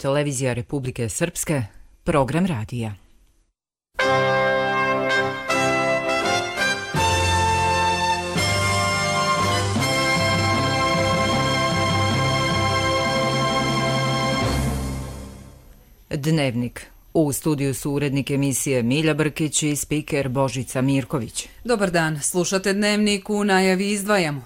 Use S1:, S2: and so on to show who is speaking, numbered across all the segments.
S1: televizija Republike Srpske, program radija. Dnevnik. U studiju su urednik emisije Milja Brkić i spiker Božica Mirković.
S2: Dobar dan, slušate Dnevnik, u najavi izdvajamo.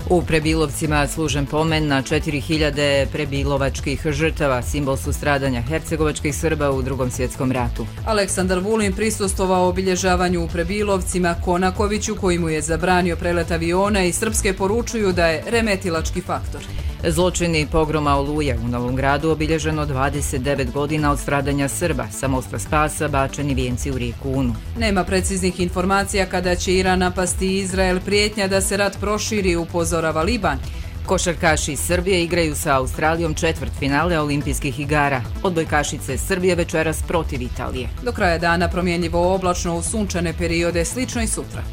S1: U Prebilovcima služen pomen na 4000 prebilovačkih žrtava, simbol su stradanja hercegovačkih Srba u Drugom svjetskom ratu.
S2: Aleksandar Vulin prisustvovao obilježavanju u Prebilovcima, Konakoviću koji mu je zabranio prelet aviona i srpske poručuju da je remetilački faktor.
S1: Zločini pogroma Oluja u Novom Gradu obilježeno 29 godina od stradanja Srba, sa mosta Spasa bačeni vijenci u rijeku Unu.
S2: Nema preciznih informacija kada će Iran napasti Izrael, prijetnja da se rat proširi, upozorava Liban.
S1: Košarkaši iz Srbije igraju sa Australijom četvrtfinale olimpijskih igara. Odbojkašice Srbije večeras protiv Italije.
S2: Do kraja dana promjenjivo oblačno u sunčane periode, slično i sutra.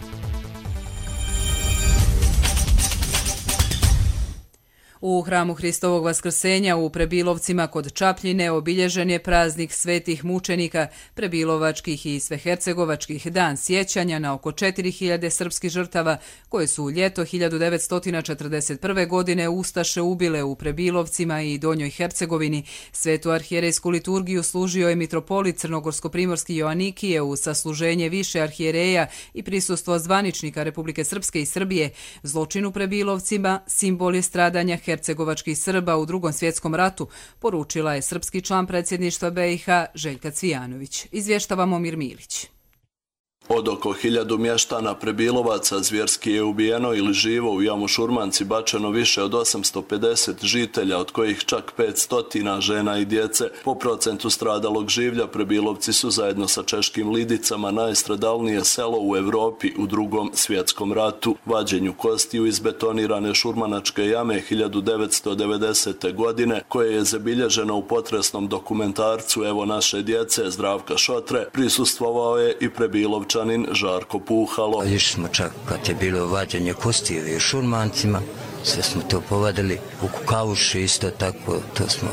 S2: U hramu Hristovog Vaskrsenja u Prebilovcima kod Čapljine obilježen je praznik svetih mučenika, prebilovačkih i svehercegovačkih, dan sjećanja na oko 4000 srpskih žrtava koje su u ljeto 1941. godine ustaše ubile u Prebilovcima i Donjoj Hercegovini. Svetu arhijerejsku liturgiju služio je mitropolit crnogorsko-primorski Joanikije u sasluženje više arhijereja i prisustvo zvaničnika Republike Srpske i Srbije. Zločin u Prebilovcima simbol je stradanja hercegovačkih Srba u Drugom svjetskom ratu, poručila je srpski član predsjedništva BiH Željka Cvijanović. Izvještava Momir Milić.
S3: Od oko 1000 mještana Prebilovaca zvjerski je ubijeno ili živo u jamu Šurmanci bačeno više od 850 žitelja, od kojih čak 500 žena i djece. Po procentu stradalog življa Prebilovci su zajedno sa češkim Lidicama najstradalnije selo u Europi u Drugom svjetskom ratu. Vađenju kostiju iz betonirane šurmanačke jame 1990. godine, koje je zabilježeno u potresnom dokumentarcu Evo naše djece Zdravka Šotre, prisustvovao je i Prebilovčanin Žarko Puhalo.
S4: Išli smo čak kad je bilo vađenje kostiju u Šurmancima, sve smo to povadili. U Kukavuši isto tako, to smo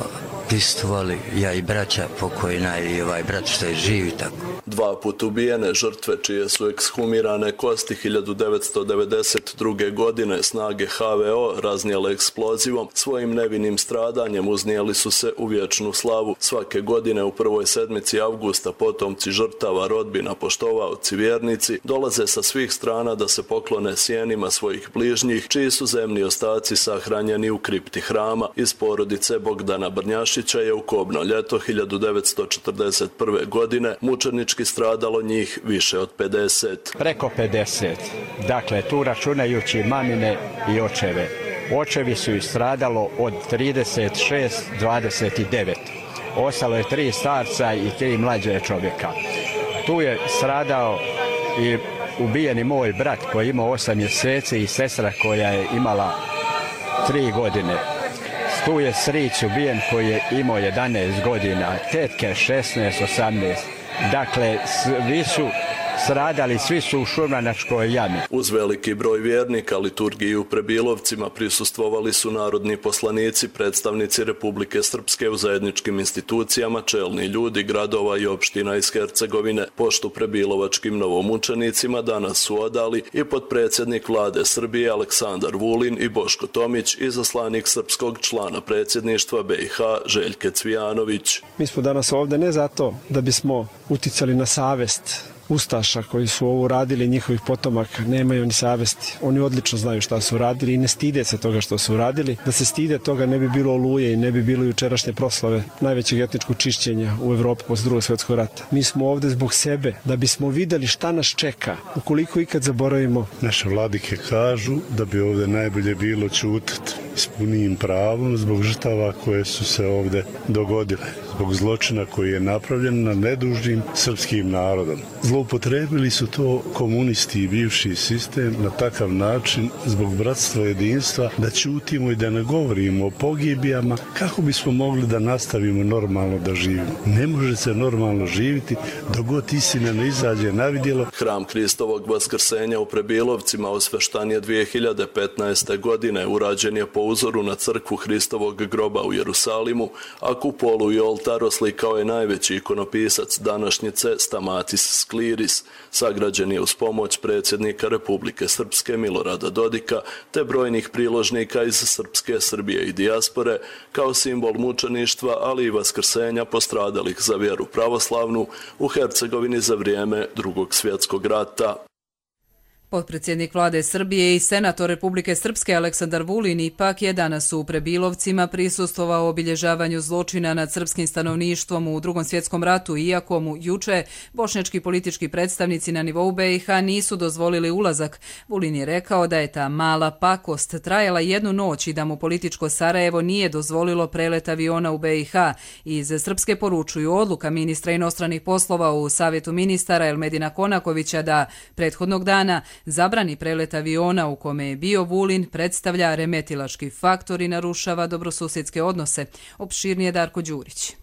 S4: prisustvovali, ja i braća pokojna i ovaj brat što je živi tako.
S3: 2 put ubijene žrtve čije su ekshumirane kosti 1992. godine snage HVO raznijele eksplozivom, svojim nevinim stradanjem uznijeli su se u vječnu slavu. Svake godine u prvoj sedmici avgusta potomci žrtava, rodbina, poštovaoci, vjernici dolaze sa svih strana da se poklone sjenima svojih bližnjih, čiji su zemni ostaci sahranjeni u kripti hrama. Iz porodice Bogdana Brnjašića je u kobno ljeto 1941. godine mučenički stradalo njih više od 50.
S5: Preko 50. Dakle, tu računajući mamine i očeve. Očevi su ih stradalo od 36-29. Ostalo je 3 starca i 3 mlađe čovjeka. Tu je stradao i ubijeni moj brat koji je imao 8 mjeseci i sestra koja je imala 3 godine. Tu je stric ubijen koji je imao 11 godina, tetke 16, 18. Dakle, svi su stradali, svi su u šurmanačkoj jami.
S3: Uz veliki broj vjernika liturgiji u Prebilovcima prisustvovali su narodni poslanici, predstavnici Republike Srpske u zajedničkim institucijama, čelni ljudi gradova i opština iz Hercegovine. Poštu prebilovačkim novomučenicima danas su odali i potpredsjednik vlade Srbije Aleksandar Vulin i Boško Tomić, izaslanik srpskog člana predsjedništva BiH Željke Cvijanović.
S6: Mi smo danas ovdje ne zato da bismo uticali na savest ustaša koji su ovo radili, njihovih potomaka, nemaju ni savesti. Oni odlično znaju šta su radili i ne stide se toga što su radili. Da se stide toga ne bi bilo Oluje i ne bi bilo jučerašnje proslave najvećeg etničkog čišćenja u Evropi posle Drugog svjetskog rata. Mi smo ovdje zbog sebe, da bismo vidjeli šta nas čeka, ukoliko ikad zaboravimo.
S7: Naše vladike kažu da bi ovdje najbolje bilo ćutati s punim pravom zbog žrtava koje su se ovdje dogodile. zbog zločina koji je napravljen na nedužnim srpskim narodom. Zloupotrebili su to komunisti i bivši sistem na takav način zbog bratstva i jedinstva da ćutimo i da ne govorimo o pogibijama kako bismo mogli da nastavimo normalno da živimo. Ne može se normalno živjeti dok god istina ne izađe na vidjelo.
S3: Hram Hristovog vaskrsenja u Prebilovcima osveštan je 2015. godine. Urađen je po uzoru na crkvu Hristovog groba u Jerusalimu, a kupolu i oltar oslikao je najveći ikonopisac današnjice Stamatis Skliris. Sagrađen je uz pomoć predsjednika Republike Srpske Milorada Dodika te brojnih priložnika iz Srpske, Srbije i dijaspore kao simbol mučeništva, ali i vaskrsenja postradalih za vjeru pravoslavnu u Hercegovini za vrijeme Drugog svjetskog rata.
S2: Potpredsjednik vlade Srbije i senator Republike Srpske Aleksandar Vulin ipak je danas u Prebilovcima prisustvovao obilježavanju zločina nad srpskim stanovništvom u Drugom svjetskom ratu, iako mu juče bošnjački politički predstavnici na nivou BiH nisu dozvolili ulazak. Vulin je rekao da je ta mala pakost trajala jednu noć i da mu političko Sarajevo nije dozvolilo prelet aviona u BiH. Iz Srpske poručuju odluka ministra inostranih poslova u Savjetu ministara Elmedina Konakovića da prethodnog dana zabrani prelet aviona u kome je bio Vulin predstavlja remetilački faktor i narušava dobrosusjedske odnose. Opširnije Darko Đurić.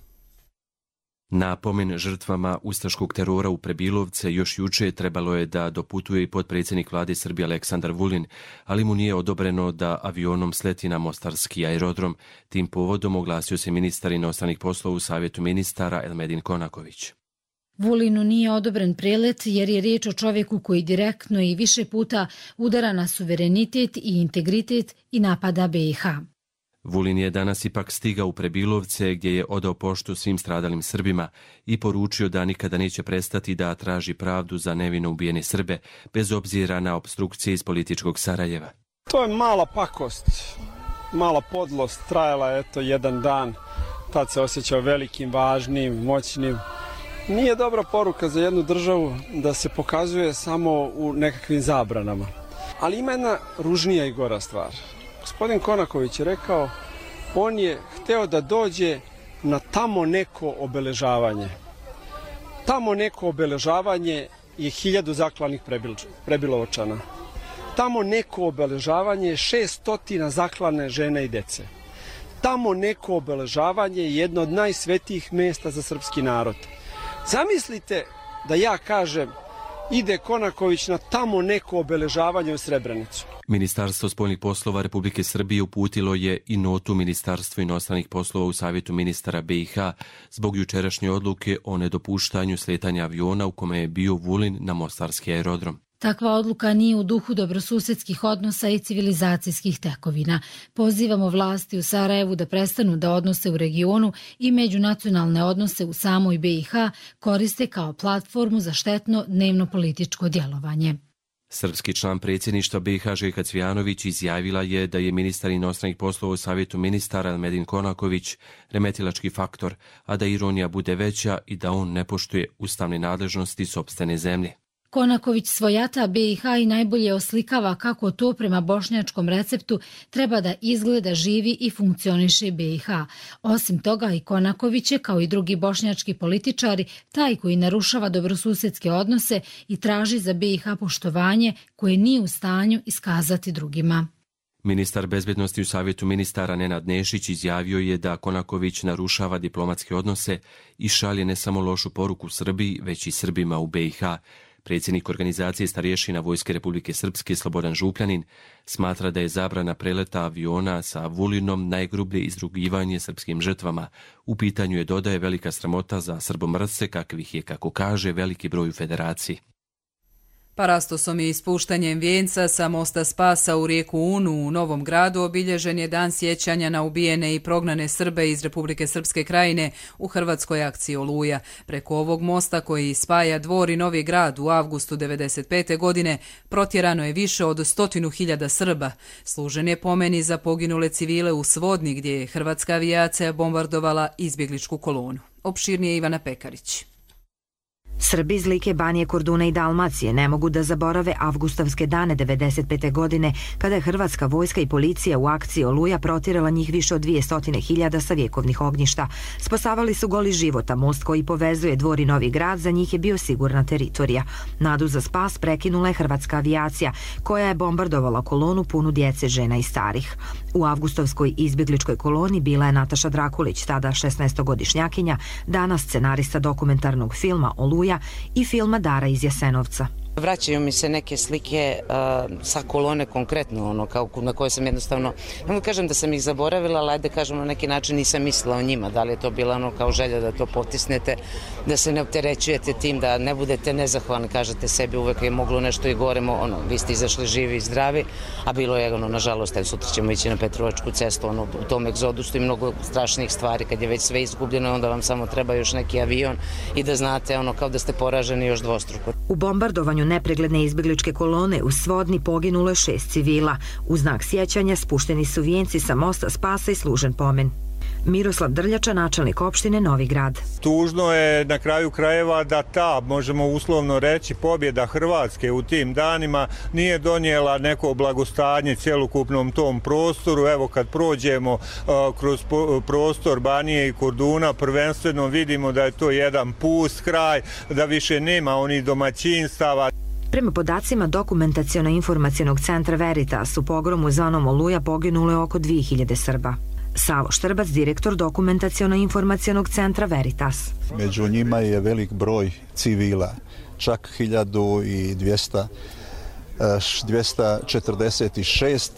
S8: Na pomen žrtvama ustaškog terora u Prebilovce još juče trebalo je da doputuje i potpredsjednik vlade Srbije Aleksandar Vulin, ali mu nije odobreno da avionom sleti na mostarski aerodrom. Tim povodom oglasio se ministar inostranih poslova u Savjetu ministara Elmedin Konaković.
S9: Vulinu nije odobren prelet jer je riječ o čovjeku koji direktno i više puta udara na suverenitet i integritet i napada BiH.
S8: Vulin je danas ipak stigao u Prebilovce gdje je odao poštu svim stradalim Srbima i poručio da nikada neće prestati da traži pravdu za nevino ubijene Srbe, bez obzira na opstrukcije iz političkog Sarajeva.
S6: To je mala pakost, mala podlost, trajala je jedan dan, tad se osjećao velikim, važnim, moćnim. Nije dobra poruka za jednu državu da se pokazuje samo u nekakvim zabranama. Ali ima jedna ružnija i gora stvar. Gospodin Konaković je rekao, on je hteo da dođe na tamo neko obeležavanje. Tamo neko obeležavanje je 1000 zaklanih Prebilovačana. Tamo neko obeležavanje je 600 zaklane žene i dece. Tamo neko obeležavanje je jedno od najsvetijih mjesta za srpski narod. Zamislite da ja kažem ide Konaković na tamo neko obeležavanje u Srebrenicu.
S8: Ministarstvo spoljnih poslova Republike Srbije uputilo je i notu Ministarstvu inostranih poslova u Savjetu ministara BiH zbog jučerašnje odluke o nedopuštanju sletanja aviona u kome je bio Vulin na mostarski aerodrom.
S9: Takva odluka nije u duhu dobrosusjedskih odnosa i civilizacijskih tekovina. Pozivamo vlasti u Sarajevu da prestanu da odnose u regionu i međunacionalne odnose u samoj BiH koriste kao platformu za štetno dnevno političko djelovanje.
S8: Srpski član predsjedništva BiH Željka Cvijanović izjavila je da je ministar inostranih poslova u Savjetu ministara Elmedin Konaković remetilački faktor, a da ironija bude veća i da on ne poštuje ustavne nadležnosti sopstvene zemlje.
S9: Konaković svojata BiH i najbolje oslikava kako to prema bošnjačkom receptu treba da izgleda, živi i funkcioniše BiH. Osim toga i Konaković je, kao i drugi bošnjački političari, taj koji narušava dobrosusjedske odnose i traži za BiH poštovanje koje nije u stanju iskazati drugima.
S8: Ministar bezbednosti u Savjetu ministara Nenad Nešić izjavio je da Konaković narušava diplomatske odnose i šalje ne samo lošu poruku Srbiji, već i Srbima u BiH. Predsjednik organizacije starješina Vojske Republike Srpske Slobodan Župljanin smatra da je zabrana preleta aviona sa Vulinom najgrublje izrugivanje srpskim žrtvama. U pitanju je, dodaje, velika sramota za srbomrsce kakvih je, kako kaže, veliki broj u federaciji.
S2: Parastosom i ispuštanjem vijenca sa mosta Spasa u rijeku Unu u Novom Gradu obilježen je dan sjećanja na ubijene i prognane Srbe iz Republike Srpske krajine u hrvatskoj akciji Oluja. Preko ovog mosta koji spaja Dvor i Novi Grad u avgustu 1995. godine protjerano je više od 100.000 Srba. Služen je pomen i za poginule civile u Svodni gdje je hrvatska avijacija bombardovala izbjegličku kolonu. Opširnije Ivana Pekarić.
S10: Srbi iz Like, Banije, Korduna i Dalmacije ne mogu da zaborave avgustavske dane 1995. godine kada je hrvatska vojska i policija u akciji Oluja protirala njih više od 200.000 sa vjekovnih ognjišta. Spasavali su goli života, most koji povezuje Dvor i Novi Grad za njih je bio sigurna teritorija. Nadu za spas prekinula je hrvatska avijacija koja je bombardovala kolonu punu djece, žena i starih. U avgustovskoj izbjegličkoj koloni bila je Nataša Drakulić, tada 16-godišnjakinja, danas scenarista dokumentarnog filma Oluja i filma Dara iz Jasenovca.
S11: Vraćaju mi se neke slike sa kolone konkretno, kao na koje sam jednostavno, ne kažem da sam ih zaboravila, ali ajde kažem na neki način nisam mislila o njima. Da li je to bila kao želja da to potisnete, da se ne opterećujete tim, da ne budete nezahvalni, kažete sebi uvek je moglo nešto i gore, vi ste izašli živi i zdravi, a bilo je nažalost, sutra ćemo ići na Petrovačku cestu, u tom egzodusu i mnogo strašnih stvari, kad je već sve izgubljeno, onda vam samo treba još neki avion i da znate kao da ste poraženi još dvostruko.
S10: U bombardovanju nepregledne izbjegličke kolone u Svodni poginulo je 6 civila. U znak sjećanja spušteni su vijenci sa mosta spasa i služen pomen. Miroslav Drljača, načelnik opštine Novi Grad.
S12: Tužno je na kraju krajeva da ta, možemo uslovno reći, pobjeda Hrvatske u tim danima nije donijela neko blagostanje cjelokupnom tom prostoru. Evo kad prođemo kroz prostor Banije i Korduna, prvenstveno vidimo da je to jedan pust kraj, da više nema onih domaćinstava.
S10: Prema podacima Dokumentaciono-informacionog centra Veritas, u pogromu zvanom Oluja poginulo je oko 2000 Srba. Savo Štrbac, direktor Dokumentaciono-informacionog centra Veritas.
S13: Među njima je velik broj civila, čak 1246,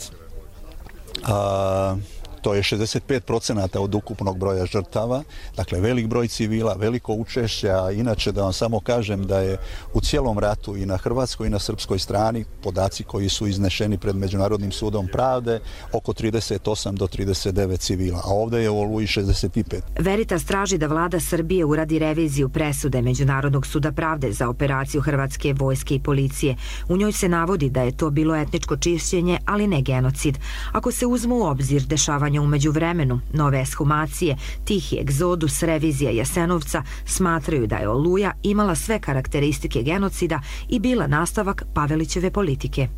S13: to je 65% od ukupnog broja žrtava, dakle velik broj civila, veliko učešće, a inače da vam samo kažem da je u cijelom ratu i na hrvatskoj i na srpskoj strani, podaci koji su iznešeni pred Međunarodnim sudom pravde, oko 38 do 39 civila, a ovdje je u Oluji 65.
S10: Veritas traži da vlada Srbije uradi reviziju presude Međunarodnog suda pravde za operaciju hrvatske vojske i policije. U njoj se navodi da je to bilo etničko čišćenje, ali ne genocid. Ako se uzmu u obzir dešavanja u međuvremenu, nove ekshumacije, tihi egzodus, revizija Jasenovca, smatraju da je Oluja imala sve karakteristike genocida i bila nastavak Pavelićeve politike.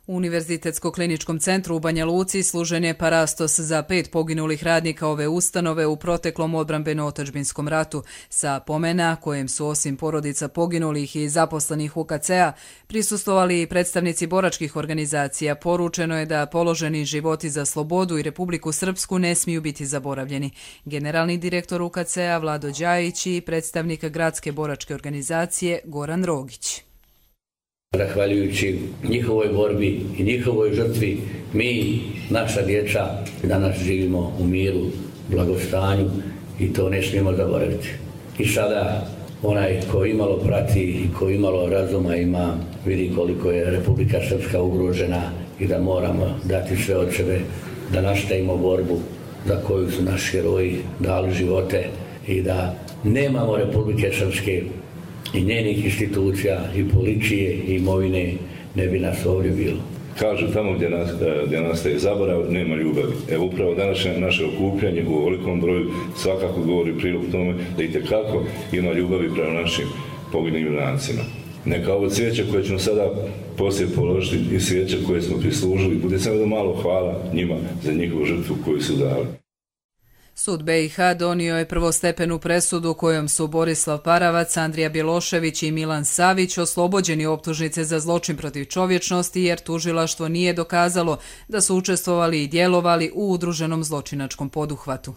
S2: U Univerzitetsko-kliničkom centru u Banja Luci služen je parastos za 5 poginulih radnika ove ustanove u proteklom odbrambeno-otadžbinskom ratu. Sa pomena kojem su osim porodica poginulih i zaposlenih UKC-a prisustvovali i predstavnici boračkih organizacija. Poručeno je da položeni životi za slobodu i Republiku Srpsku ne smiju biti zaboravljeni. Generalni direktor UKC-a Vlado Đajić i predstavnik gradske boračke organizacije Goran Rogić.
S14: Zahvaljujući njihovoj borbi i njihovoj žrtvi, mi, naša djeca, danas živimo u miru, blagostanju i to ne smijemo zaboraviti. I sada onaj ko imalo prati i ko imalo razuma ima, vidi koliko je Republika Srpska ugrožena i da moramo dati sve od sebe da nastavimo borbu za koju su naši heroji dali živote i da nemamo Republike Srpske i njenih institucija i policije i imovine, ne bi nas ovdje bilo.
S15: Kažu tamo gdje nastaje zaborav, nema ljubavi. Evo upravo današnje naše okupljanje u ovolikom broju svakako govori prilog tome da itekako ima ljubavi prema našim poginulim junancima. Neka ovo cvijeće koje ćemo sada poslije položiti i cvijeće koje smo prislužili, bude samo malo hvala njima za njihovu žrtvu koju su dali.
S2: Sud BiH donio je prvostepenu presudu kojom su Borislav Paravac, Andrija Bjelošević i Milan Savić oslobođeni optužnice za zločin protiv čovječnosti jer tužilaštvo nije dokazalo da su učestvovali i djelovali u udruženom zločinačkom poduhvatu.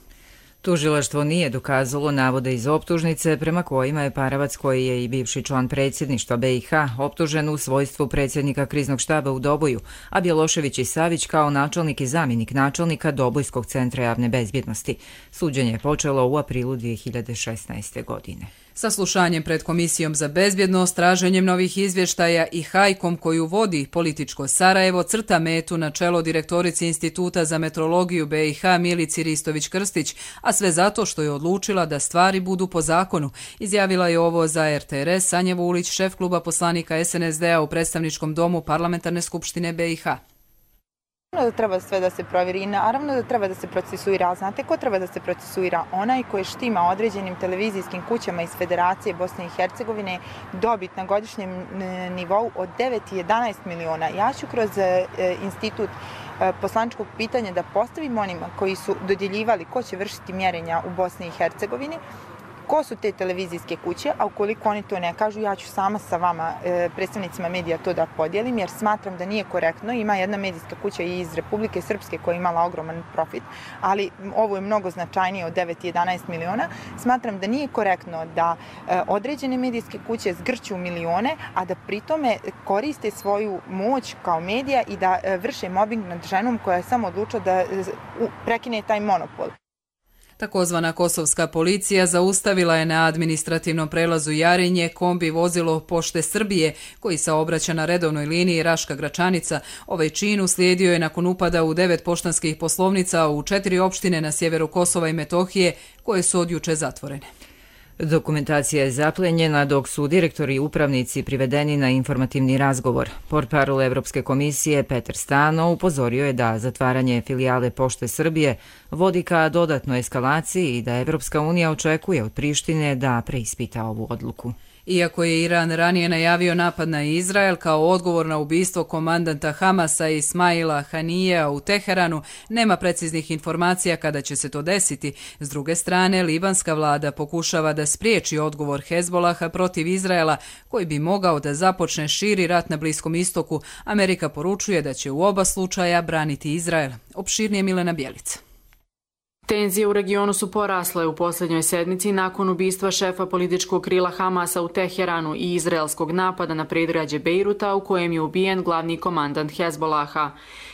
S1: Tužilaštvo nije dokazalo navode iz optužnice prema kojima je Paravac, koji je i bivši član predsjedništva BiH, optužen u svojstvu predsjednika kriznog štaba u Doboju, a Bjelošević i Savić kao načelnik i zamjenik načelnika Dobojskog centra javne bezbjednosti. Suđenje je počelo u aprilu 2016. godine.
S2: Saslušanjem pred Komisijom za bezbjednost, traženjem novih izvještaja i hajkom koju vodi političko Sarajevo crta metu na čelo direktorici Instituta za metrologiju BiH Milici Ristović-Krstić, a sve zato što je odlučila da stvari budu po zakonu. Izjavila je ovo za RTRS Sanja Vulić, šef kluba poslanika SNSD-a u predstavničkom domu Parlamentarne skupštine BiH.
S16: Da treba sve da se provjeri i naravno da treba da se procesuira. Znate ko treba da se procesuira? Onaj koji štima određenim televizijskim kućama iz Federacije Bosne i Hercegovine dobit na godišnjem nivou od 9 i 11 miliona. Ja ću kroz institut poslaničkog pitanja da postavim onima koji su dodjeljivali ko će vršiti mjerenja u Bosni i Hercegovini, ko su te televizijske kuće, a ukoliko oni to ne kažu, ja ću sama sa vama, predstavnicima medija, to da podijelim, jer smatram da nije korektno. Ima jedna medijska kuća i iz Republike Srpske koja je imala ogroman profit, ali ovo je mnogo značajnije od 9 i 11 miliona. Smatram da nije korektno da određene medijske kuće zgrću milione, a da pritome koriste svoju moć kao medija i da vrše mobbing nad ženom koja je samo odlučila da prekine taj monopol.
S2: Takozvana kosovska policija zaustavila je na administrativnom prelazu Jarinje kombi vozilo Pošte Srbije koji saobraća na redovnoj liniji Raška-Gračanica. Ovaj čin uslijedio je nakon upada u 9 poštanskih poslovnica u 4 opštine na sjeveru Kosova i Metohije koje su od juče zatvorene.
S1: Dokumentacija je zaplenjena dok su direktori i upravnici privedeni na informativni razgovor. Portparol Evropske komisije Petar Stano upozorio je da zatvaranje filijale Pošte Srbije vodi ka dodatnoj eskalaciji i da Evropska unija očekuje od Prištine da preispita ovu odluku.
S2: Iako je Iran ranije najavio napad na Izrael kao odgovor na ubistvo komandanta Hamasa Ismaila Hanija u Teheranu, nema preciznih informacija kada će se to desiti. S druge strane, libanska vlada pokušava da spriječi odgovor Hezbolaha protiv Izraela, koji bi mogao da započne širi rat na Bliskom istoku. Amerika poručuje da će u oba slučaja braniti Izrael. Opširnije Milena Bjelica.
S17: Tenzije u regionu su porasle u posljednjoj sedmici nakon ubistva šefa političkog krila Hamasa u Teheranu i izraelskog napada na predgrađe Bejruta u kojem je ubijen glavni komandant Hezbolaha.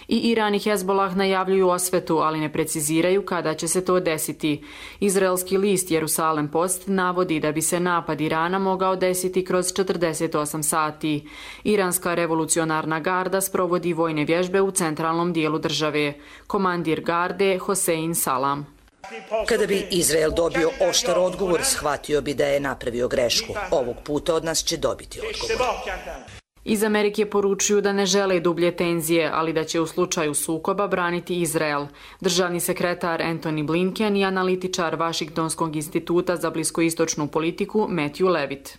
S17: I Iran i Hezbolah najavljuju osvetu, ali ne preciziraju kada će se to desiti. Izraelski list Jerusalem Post navodi da bi se napad Irana mogao desiti kroz 48 sati. Iranska revolucionarna garda sprovodi vojne vježbe u centralnom dijelu države. Komandir garde Hosein Salam.
S18: Kada bi Izrael dobio oštar odgovor, shvatio bi da je napravio grešku. Ovog puta od nas će dobiti odgovor.
S17: Iz Amerike poručuju da ne žele dublje tenzije, ali da će u slučaju sukoba braniti Izrael. Državni sekretar Antony Blinken i analitičar Vašingtonskog instituta za bliskoistočnu politiku Matthew Levitt.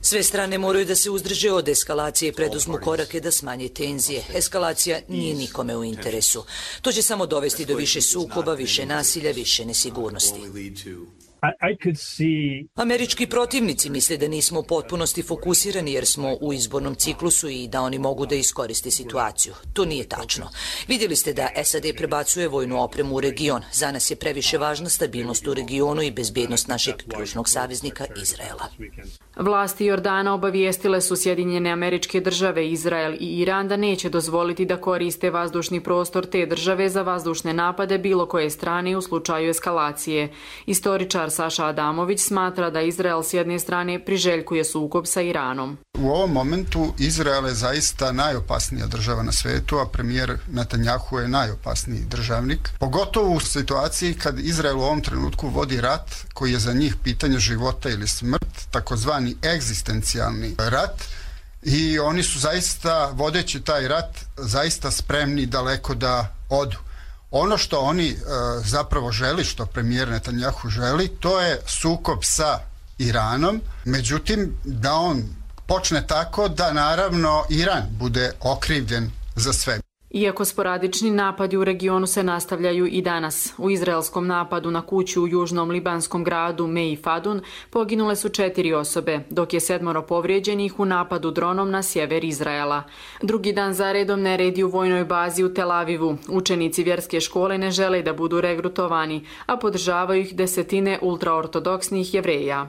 S18: Sve strane moraju da se uzdrže od eskalacije i preduzmu korake da smanje tenzije. Eskalacija nije nikome u interesu. To će samo dovesti do više sukoba, više nasilja, više nesigurnosti. Američki protivnici misle da nismo u potpunosti fokusirani jer smo u izbornom ciklusu i da oni mogu da iskoriste situaciju. To nije tačno. Vidjeli ste da SAD prebacuje vojnu opremu u region. Za nas je previše važna stabilnost u regionu i bezbjednost našeg ključnog saveznika Izraela.
S17: Vlasti Jordana obavijestile su Sjedinjene Američke Države, Izrael i Iran da neće dozvoliti da koriste vazdušni prostor te države za vazdušne napade bilo koje strane u slučaju eskalacije. Istoričar Saša Adamović smatra da Izrael s jedne strane priželjkuje sukob sa Iranom.
S19: U ovom momentu Izrael je zaista najopasnija država na svetu, a premijer Netanjahu je najopasniji državnik. Pogotovo u situaciji kad Izrael u ovom trenutku vodi rat koji je za njih pitanje života ili smrt, takozvani egzistencijalni rat, i oni su zaista, vodeći taj rat, zaista spremni daleko da odu. Ono što oni zapravo želi, što premijer Netanjahu želi, to je sukob sa Iranom, međutim da on počne tako da naravno Iran bude okrivljen za sve.
S17: Iako sporadični napadi u regionu se nastavljaju i danas. U izraelskom napadu na kuću u južnom libanskom gradu Mei Fadun poginule su 4 osobe, dok je 7 povrijeđenih u napadu dronom na sjever Izraela. Drugi dan za redom neredi u vojnoj bazi u Tel Avivu. Učenici vjerske škole ne žele da budu regrutovani, a podržavaju ih desetine ultraortodoksnih Jevreja.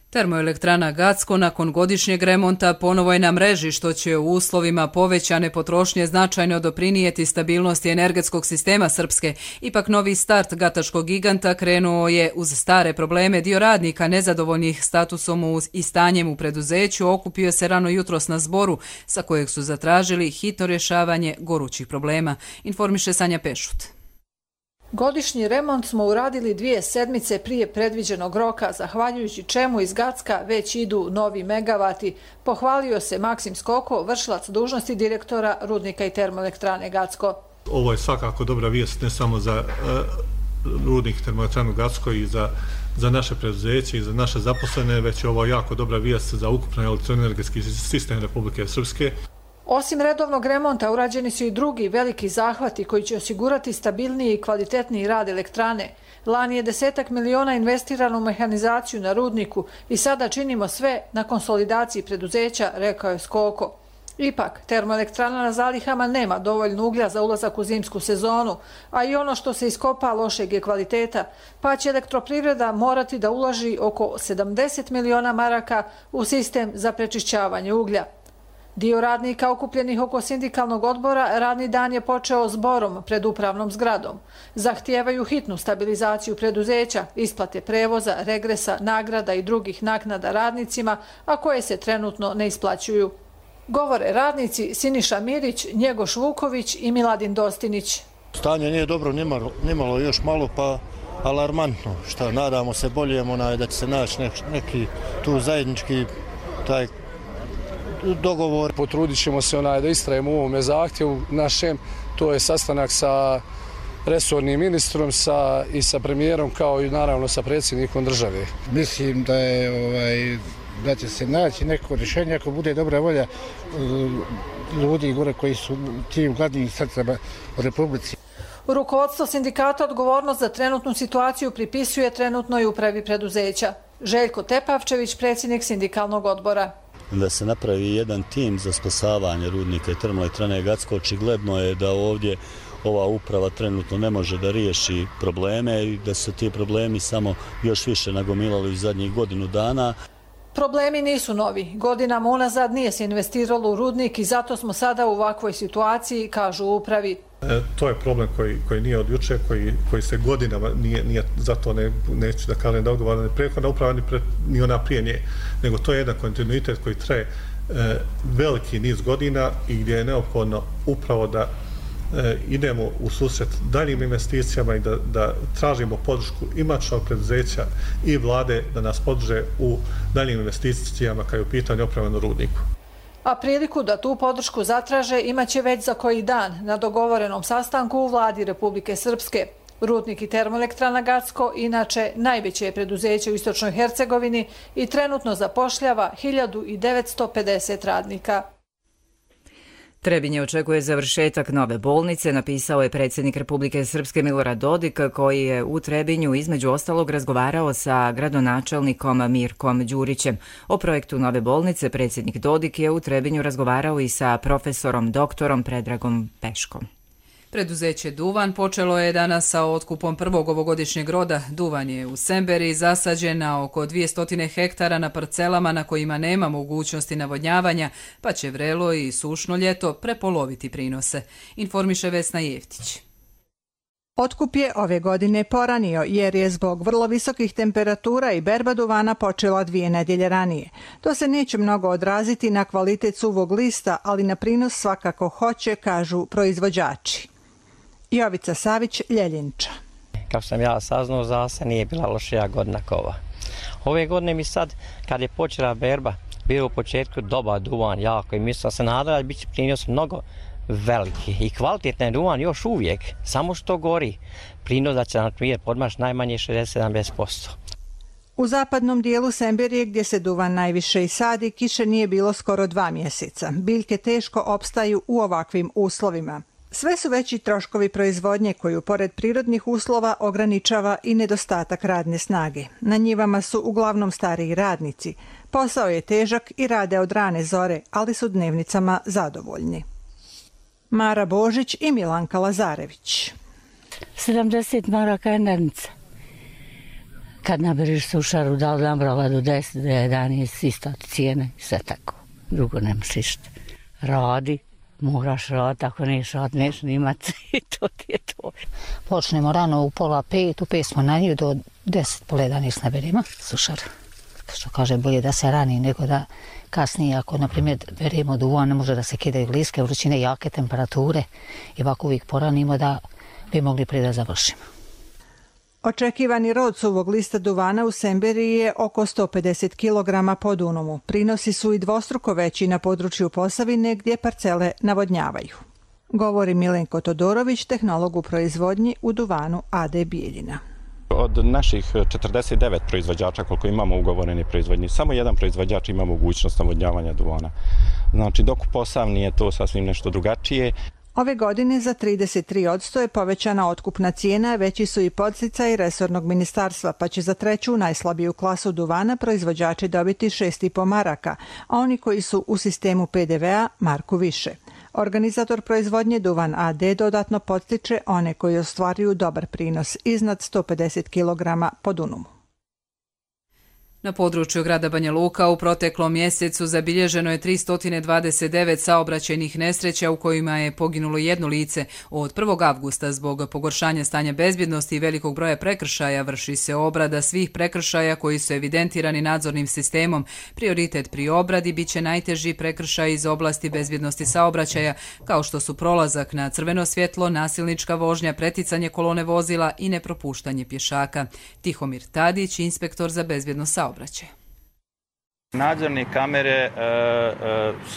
S2: Termoelektrana Gacko nakon godišnjeg remonta ponovo je na mreži, što će u uslovima povećane potrošnje značajno doprinijeti stabilnosti energetskog sistema Srpske. Ipak novi start gatačkog giganta krenuo je uz stare probleme. Dio radnika nezadovoljnih statusom i stanjem u preduzeću okupio se rano jutros na zboru, sa kojeg su zatražili hitno rješavanje gorućih problema, informiše Sanja Pešut.
S20: Godišnji remont smo uradili 2 sedmice prije predviđenog roka, zahvaljujući čemu iz Gacka već idu novi megavati, pohvalio se Maksim Skoko, vršilac dužnosti direktora Rudnika i termoelektrane Gacko.
S21: Ovo je svakako dobra vijest ne samo za Rudnik i termoelektranu Gacko i za naše preduzeće i za naše zaposlene, već je ovo jako dobra vijest za ukupno elektroenergetski sistem Republike Srpske.
S20: Osim redovnog remonta, urađeni su i drugi veliki zahvati koji će osigurati stabilniji i kvalitetniji rad elektrane. Lani je 10 miliona investirano u mehanizaciju na rudniku i sada činimo sve na konsolidaciji preduzeća, rekao je Skoko. Ipak, termoelektrana na zalihama nema dovoljno uglja za ulazak u zimsku sezonu, a i ono što se iskopa lošeg je kvaliteta, pa će elektroprivreda morati da uloži oko 70 miliona maraka u sistem za prečišćavanje uglja. Dio radnika okupljenih oko sindikalnog odbora radni dan je počeo zborom pred upravnom zgradom. Zahtijevaju hitnu stabilizaciju preduzeća, isplate prevoza, regresa, nagrada i drugih naknada radnicima, a koje se trenutno ne isplaćuju. Govore radnici Siniša Mirić, Njegoš Vuković i Miladin Dostinić.
S22: Stanje nije dobro, nimalo još malo pa alarmantno. Šta, nadamo se boljem da će se naći neki tu zajednički taj dogovor.
S23: Potrudit ćemo se da istrajemo u ovome zahtjevu našem. To je sastanak sa resornim ministrom i sa premijerom kao i naravno sa predsjednikom države.
S24: Mislim da će se naći neko rješenje ako bude dobra volja ljudi gore koji su tim gladnim srcama u Republici.
S20: Rukovodstvo sindikata odgovornost za trenutnu situaciju pripisuje trenutnoj upravi preduzeća. Željko Tepavčević, predsjednik sindikalnog odbora.
S25: Da se napravi jedan tim za spasavanje Rudnika i termoelektrane Gacko, očigledno je da ovdje ova uprava trenutno ne može da riješi probleme i da su ti problemi samo još više nagomilali u zadnjih godinu dana.
S20: Problemi nisu novi. Godinama unazad nije se investiralo u rudnik i zato smo sada u ovakvoj situaciji, kažu u upravi.
S21: To je problem koji nije od juče, koji se godinama nije zato neću da kažem da odgovara ne prethodna uprava ni ona prije nje, nego to je jedan kontinuitet koji traje veliki niz godina i gdje je neophodno upravo da idemo u susret daljim investicijama i da tražimo podršku i matičnog preduzeća i vlade da nas podrže u daljim investicijama kao u pitanju oprave na rudniku.
S20: A priliku da tu podršku zatraže imaće već za koji dan na dogovorenom sastanku u vladi Republike Srpske. Rudnik i termoelektrana Gacko inače najveće je preduzeće u Istočnoj Hercegovini i trenutno zapošljava 1950 radnika.
S1: Trebinje očekuje završetak nove bolnice, napisao je predsjednik Republike Srpske Milorad Dodik, koji je u Trebinju između ostalog razgovarao sa gradonačelnikom Mirkom Đurićem. O projektu nove bolnice predsjednik Dodik je u Trebinju razgovarao i sa profesorom doktorom Predragom Peškom.
S2: Preduzeće Duvan počelo je danas sa otkupom prvog ovogodišnjeg roda. Duvan je u Semberi zasađen na oko 200 hektara na parcelama na kojima nema mogućnosti navodnjavanja, pa će vrelo i sušno ljeto prepoloviti prinose, informiše Vesna Jeftić.
S26: Otkup je ove godine poranio jer je zbog vrlo visokih temperatura i berba duvana počela 2 nedjelje ranije. To se neće mnogo odraziti na kvalitet suvog lista, ali na prinos svakako hoće, kažu proizvođači. Jovica Savić, Ljeljinča.
S27: Kako sam ja saznao, za se nije bila lošija godina kova. Ove godine mi sad, kad je počela berba, bio u početku dobar duvan jako i mislim se nadala da bit će prinos mnogo veliki i kvalitetni duvan još uvijek, samo što gori. Prinos da će na primjer podmaš najmanje 60-70%.
S26: U zapadnom dijelu Semberije, gdje se duvan najviše i sadi, kiše nije bilo skoro 2 mjeseca. Biljke teško opstaju u ovakvim uslovima. Sve su veći troškovi proizvodnje koju, pored prirodnih uslova, ograničava i nedostatak radne snage. Na njivama su uglavnom stariji radnici. Posao je težak i rade od rane zore, ali su dnevnicama zadovoljni. Mara Božić i Milanka Lazarević.
S28: 70 maraka je dnevnica. Kad naberiš sušaru, da li nabrala do 10, do 11, isto cijene, sve tako. Drugo nemaš išta. Radi, moraš raditi, ako neš raditi, neš nimati i to ti je to.
S29: Počnemo rano u 4:30, u 5 smo na nju, do 10, pola 11 naberimo sušar. Što kaže, bolje da se rani nego da kasnije, ako na primjer beremo duvan, ne može da se kidaju bliske vrućine, jake temperature i ovako uvijek poranimo da bi mogli prije da završimo.
S26: Očekivani rod suvog lista duvana u Semberiji je oko 150 kg po dunumu. Prinosi su i dvostruko veći na području Posavine gdje parcele navodnjavaju. Govori Milenko Todorović, tehnolog u proizvodnji u duvanu AD Bijeljina.
S3: Od naših 49 proizvođača koliko imamo ugovorene proizvodnje, samo jedan proizvođač ima mogućnost navodnjavanja duvana. Znači dok u Posavini je to sasvim nešto drugačije.
S26: Ove godine za 33% je povećana otkupna cijena, veći su i podsticaji resornog ministarstva, pa će za treću najslabiju klasu duvana proizvođači dobiti 6,5 maraka, a oni koji su u sistemu PDV-a marku više. Organizator proizvodnje Duvan AD dodatno podstiče one koji ostvaruju dobar prinos iznad 150 kg po dunumu.
S2: Na području grada Banja Luka u proteklom mjesecu zabilježeno je 329 saobraćajnih nesreća u kojima je poginulo jedno lice. Od 1. avgusta zbog pogoršanja stanja bezbjednosti i velikog broja prekršaja vrši se obrada svih prekršaja koji su evidentirani nadzornim sistemom. Prioritet pri obradi bit će najteži prekršaj iz oblasti bezbjednosti saobraćaja, kao što su prolazak na crveno svjetlo, nasilnička vožnja, preticanje kolone vozila i nepropuštanje pješaka. Tihomir Tadić, inspektor za bezbjednost saobraćaja.
S4: Nadzorne kamere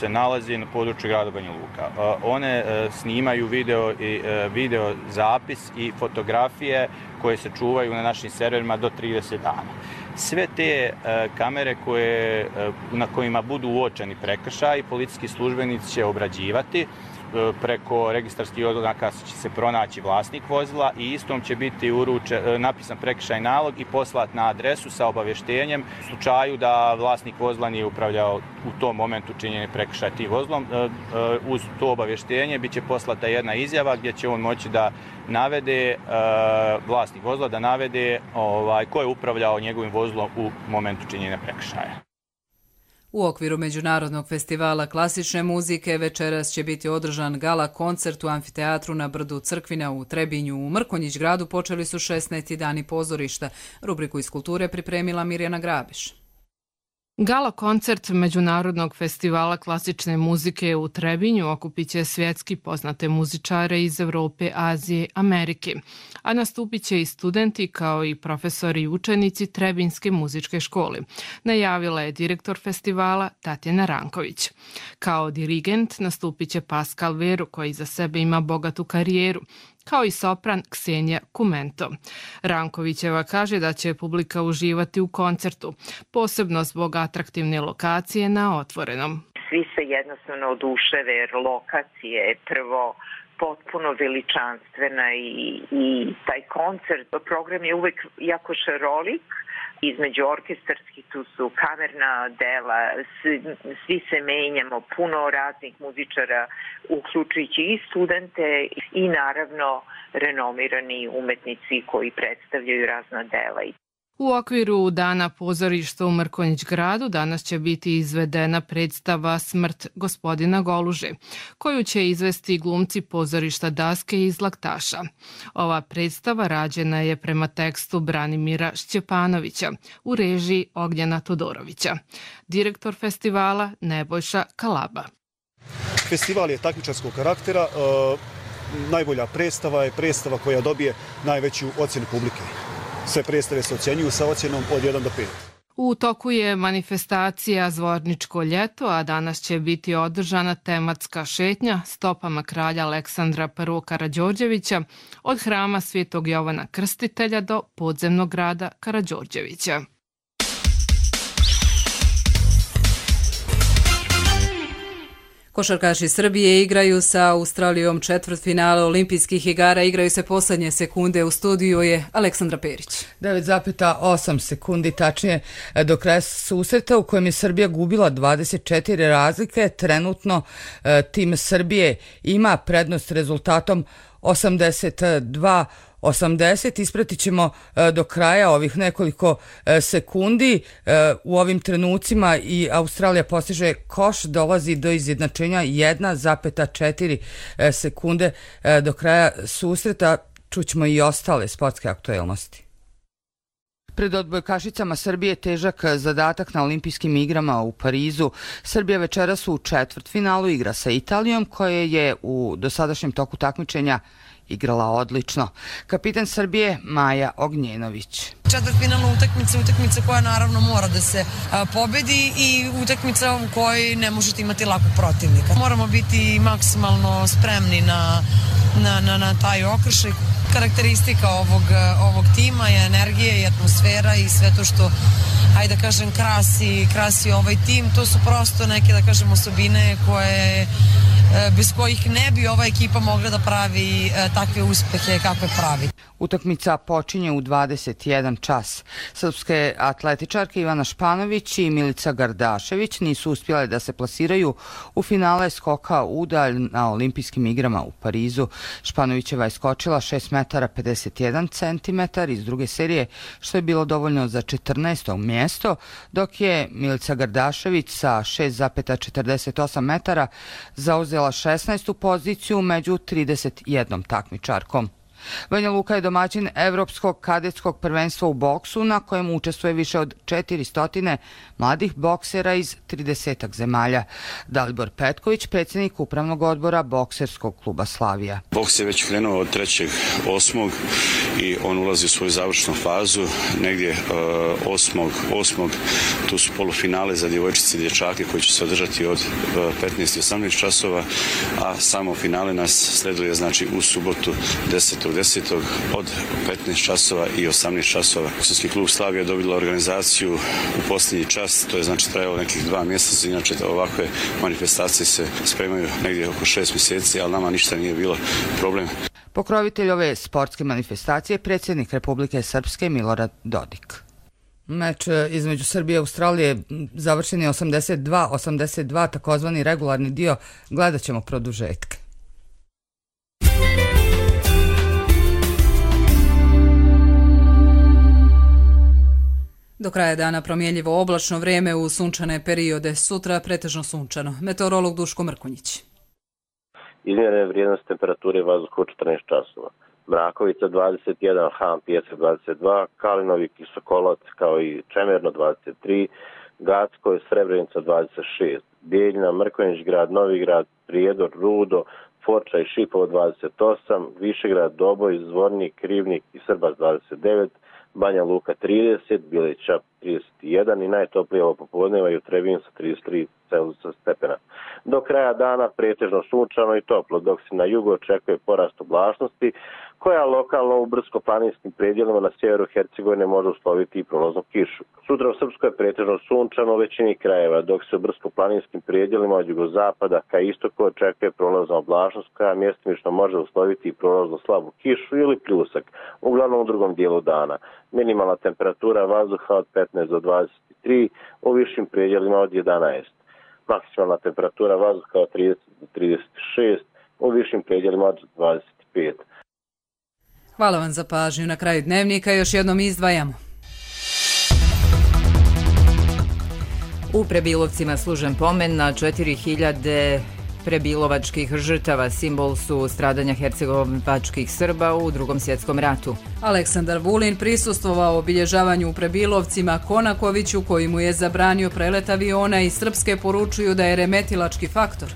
S4: se nalazi na području grada Banja Luka. One snimaju video zapis i fotografije koje se čuvaju na našim serverima do 30 dana. Sve te kamere na kojima budu uočeni prekršaji, policijski službenici će obrađivati. Preko registarskih oznaka će se pronaći vlasnik vozila i istom će biti napisan prekršajni nalog i poslat na adresu sa obavještenjem u slučaju da vlasnik vozila nije upravljao u tom momentu činjenje prekršaja tim vozilom. Uz to obavještenje bit će poslata jedna izjava gdje će on moći da navede, vlasnik vozila da navede ko je upravljao njegovim vozilom u momentu činjenja prekršaja.
S2: U okviru Međunarodnog festivala klasične muzike večeras će biti održan gala koncert u amfiteatru na brdu Crkvina u Trebinju. U Mrkonjić gradu počeli su 16. dani pozorišta. Rubriku iz kulture pripremila Mirjana Grabiš.
S5: Gala koncert Međunarodnog festivala klasične muzike u Trebinju okupit će svjetski poznate muzičare iz Evrope, Azije, Amerike, a nastupit će i studenti kao i profesori i učenici Trebinjske muzičke škole, najavila je direktor festivala Tatjana Ranković. Kao dirigent nastupit će Pascal Veru koji za sebe ima bogatu karijeru, kao i sopran Ksenija Kumento. Rankovićeva kaže da će publika uživati u koncertu, posebno zbog atraktivne lokacije na otvorenom.
S6: Svi se jednostavno oduševe jer lokacija je prvo potpuno veličanstvena i taj koncert, program je uvek jako šarolik. Između orkestarskih tu su kamerna dela, svi se menjamo, puno raznih muzičara, uključujući i studente i naravno renomirani umetnici koji predstavljaju razna dela.
S5: U okviru Dana pozorišta u Mrkonjić gradu danas će biti izvedena predstava Smrt gospodina Goluže, koju će izvesti glumci pozorišta Daske iz Laktaša. Ova predstava rađena je prema tekstu Branimira Šćepanovića u režiji Ognjena Todorovića. Direktor festivala Nebojša Kalaba.
S7: Festival je takmičarskog karaktera. Najbolja predstava je predstava koja dobije najveću ocjenu publike. Sve predstave se ocjenjuju sa ocjenom od 1 do 5.
S5: U toku je manifestacija Zvorničko ljeto, a danas će biti održana tematska šetnja stopama kralja Aleksandra I. Karađorđevića od hrama Svetog Jovana Krstitelja do podzemnog grada Karađorđevića.
S2: Košarkaši Srbije igraju sa Australijom četvrtfinale olimpijskih igara. Igraju se posljednje sekunde. U studiju je Aleksandra Perić.
S8: 9,8 sekundi tačnije do kraja susreta u kojem je Srbija gubila 24 razlike. Trenutno tim Srbije ima prednost rezultatom 82-80. Ispratit ćemo do kraja ovih nekoliko sekundi. U ovim trenucima i Australija postiže koš, dolazi do izjednačenja 1,4 sekunde do kraja susreta. Čućemo i ostale sportske aktuelnosti. Pred odbojkašicama Srbije težak zadatak na olimpijskim igrama u Parizu. Srbija večeras u četvrtfinalu igra sa Italijom koja je u dosadašnjem toku takmičenja igrala odlično. Kapitan Srbije Maja Ognjenović.
S9: Četvrtfinalna utakmica koja naravno mora da se pobedi i utakmica u kojoj ne možete imati lakog protivnika. Moramo biti maksimalno spremni na taj okršaj. Karakteristika ovog tima je energija i atmosfera i sve to što, hajde da kažem, krasi ovaj tim. To su prosto neke, da kažem, osobine koje bez kojih ne bi ova ekipa mogla da pravi takve uspehe kakve pravi.
S8: Utakmica počinje u 21 čas. Srpske atletičarke Ivana Španović i Milica Gardašević nisu uspjele da se plasiraju u finale skoka udalj na olimpijskim igrama u Parizu. Španovićeva je skočila 6 metara 51 centimetar iz druge serije, što je bilo dovoljno za 14. mjesto, dok je Milica Gardašević sa 6,48 metara zauzela 16. poziciju među 31 takmičarkom. Banja Luka je domaćin Evropskog kadetskog prvenstva u boksu na kojem učestvuje više od 400 mladih boksera iz 30 zemalja. Dalibor Petković, predsjednik upravnog odbora bokserskog kluba Slavija.
S10: Boks je već krenuo od 3.8. i on ulazi u svoju završnu fazu. Negdje 8. tu su polufinale za djevojčice i dječake koji će se održati od 15 i 18 časova, a samo finale nas sleduje znači u subotu 10. od 15 časova i 18 časova. Bokserski klub Slavija dobila organizaciju u posljednji čas, to je znači trajalo nekih 2 mjeseca, inače ovakve manifestacije se spremaju negdje oko 6 mjeseci, ali nama ništa nije bilo problem.
S8: Pokrovitelj ove sportske manifestacije je predsjednik Republike Srpske Milorad Dodik. Meč između Srbije i Australije završen je 82-82, takozvani regularni dio, gledat ćemo produžetke.
S2: Do kraja dana promjenljivo oblačno vrijeme u sunčane periode, sutra pretežno sunčano. Meteorolog Duško Mrkonjić.
S11: Izmjerene vrijednosti temperature vazduha u 14 časova. Mrakovica 21, Han Pijesak 22, Kalinovi i Sokolovac kao i Čemerno 23, Gacko i Srebrenica 26, Bijeljina, Mrkonjić grad, Novigrad, Prijedor, Rudo, Forča i Šipovo 28, Višegrad, Doboj, Zvornik, Rivnik i Srbac 29, Banja Luka 30, Bileća 31 i najtoplije ovo popodneva i u Trebinju sa 33 stepena. Do kraja dana pretežno sunčano i toplo, dok se na jugu očekuje porast oblačnosti, koja lokalno u brdsko-planinskim predjelima na sjeveru Hercegovine može usloviti i prolaznu kišu. Sutra u Srpskoj je pretežno sunčano u većini krajeva, dok se u brdsko-planinskim predjelima od jugozapada ka istoku očekuje prolazna oblačnost, koja mjestimično može usloviti i prolaznu slabu kišu ili pljusak, uglavnom u drugom dijelu dana. Minimalna temperatura vazduha od 15 do 23, u višim predjelima od 11. Maksimalna temperatura vazduha od 30 do 36, u višim predjelima od 25.
S2: Hvala vam za pažnju. Na kraju dnevnika još jednom izdvajamo.
S1: U Prebilovcima služen pomen na 4000 prebilovačkih žrtava, simbol su stradanja hercegovačkih Srba u Drugom svjetskom ratu.
S2: Aleksandar Vulin prisustvovao obilježavanju u Prebilovcima Konakoviću, koji mu je zabranio prelet aviona, i Srpske poručuju da je remetilački faktor.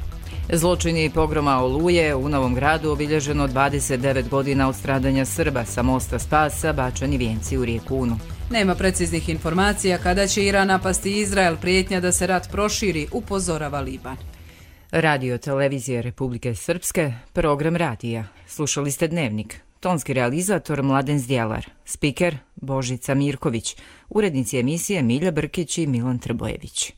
S1: Zločini pogroma Oluje u Novom Gradu obilježeno 29 godina od stradanja Srba, sa mosta Spasa bačani vijenci u rijeku Unu.
S2: Nema preciznih informacija kada će Iran napasti Izrael, prijetnja da se rat proširi, upozorava Liban.
S1: Radio televizije Republike Srpske, program radija. Slušali ste Dnevnik. Tonski realizator Mladen Zdjelar, spiker Božica Mirković, urednici emisije Milja Brkić i Milan Trbojević.